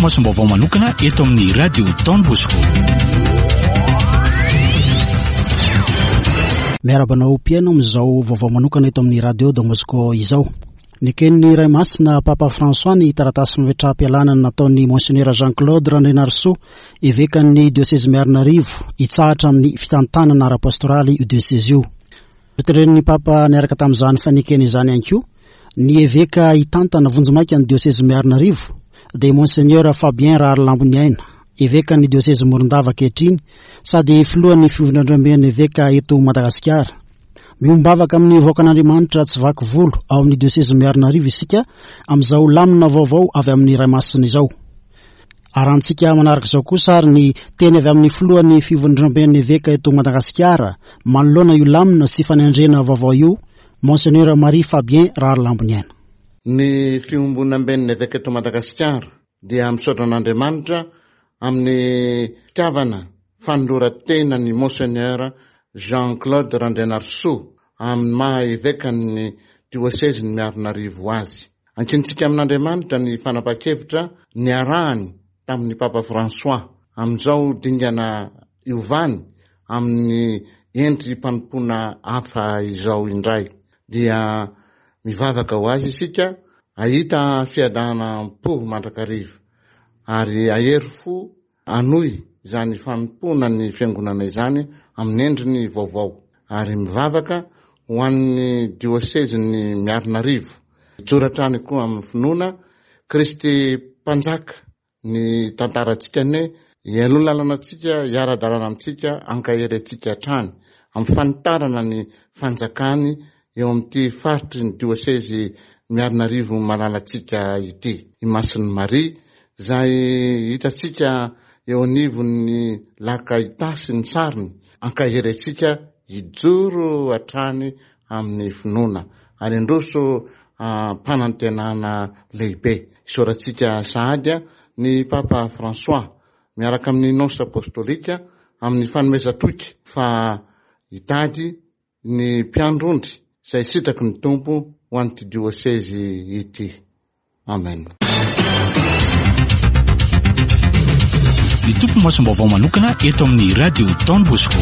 masom-baovao manokana eto amin'ny Radio Don Bosco. Miarahaba anao mpihaino amin'izao vaovao manokana eto amin'ny Radio Don Bosco izao. Neken'ny Ray Masina Papa François ny taratasy fametraham-pialana nataon'ny Monseigneur Jean Claude Randrianarisoa, evekan'ny diosezy Miarinarivo, hitsahatra amin'ny fitantanana ara-pastoraly io diosezy io. Noteren'ny Papa niaraka tamin'izany fanekena izany ihany koa ny eveka hitantana vonjimaika ny diosezy Miarinarivo, dia Monseigneur Fabien Raharilamboniaina, evekan'ny diosezy Morondava ankehitriny sady filohan'ny fivondrondromben'ny eveka eto Madagasikara. Miombavaka amin'ny vahoakan'Andriamanitra tsy vaky volo ao amin'ny diosezy Miarinarivo isika amin'izao lamina vaovao avy amin'ny Ray Masina izao. Arantsika manaraka izao kosa ary ny teny avy amin'ny filohan'ny fivondromben'ny eveka eto Madagasikara manoloana io lamina sy fanendrena vaovao io, Monseigneur Marie Fabien Raharilamboniaina. Ny fiombonamben'ny eveka eto Madagasikara dia misaotra an'Andriamanitra amin'ny fitiavana fanoloran-tena ny Monseigneur Jean Claude Randrianarisoa amin'ny maha evekan'ny diosezin'i Miarinarivo azy. Ankinintsika amin'Andriamanitra ny fanapahan-kevitra niarahany tamin'ny Papa François amin'izao dingana iovany amin'ny endri-panompoana hafa izao indray. Dia mivavaka ho azy isika hahita fiadanam-po mandrakariva ary hahery fo Hanohy izany fanompoana ny Fiangonana izany amin'ny endriny vaovao ary mivavaka ho an'ny diosezin'i Miarinarivo. Hijoro hatrany koa amin'ny finoana Kristy Mpanjaka ny tantarantsika anie hialoha lalana antsika, hiara-dalana amintsika, hankahery antsika hatrany amin'ny fanitarana ny fanjakany eo amin'ity faritry ny diosezy Miarinarivo malalantsika ity. I Masin'i Maria, izay hitantsika eo anivon'ny laka Itasy ny sariny, ankahery antsika hijoro hatrany amin'ny finoana ary handroso am-panantenana lehibe. Isaorantsika sahady ny Papa François miaraka amin'ny Nonce Apostolika amin'ny fanomezan-toky fa hitady ny mpiandry ondry izay sitraky ny Tompo ho an'ity diosezy ity. Amen. Ny Tompo masom-baovao manokana eto amin'ny Radio Don Bosco.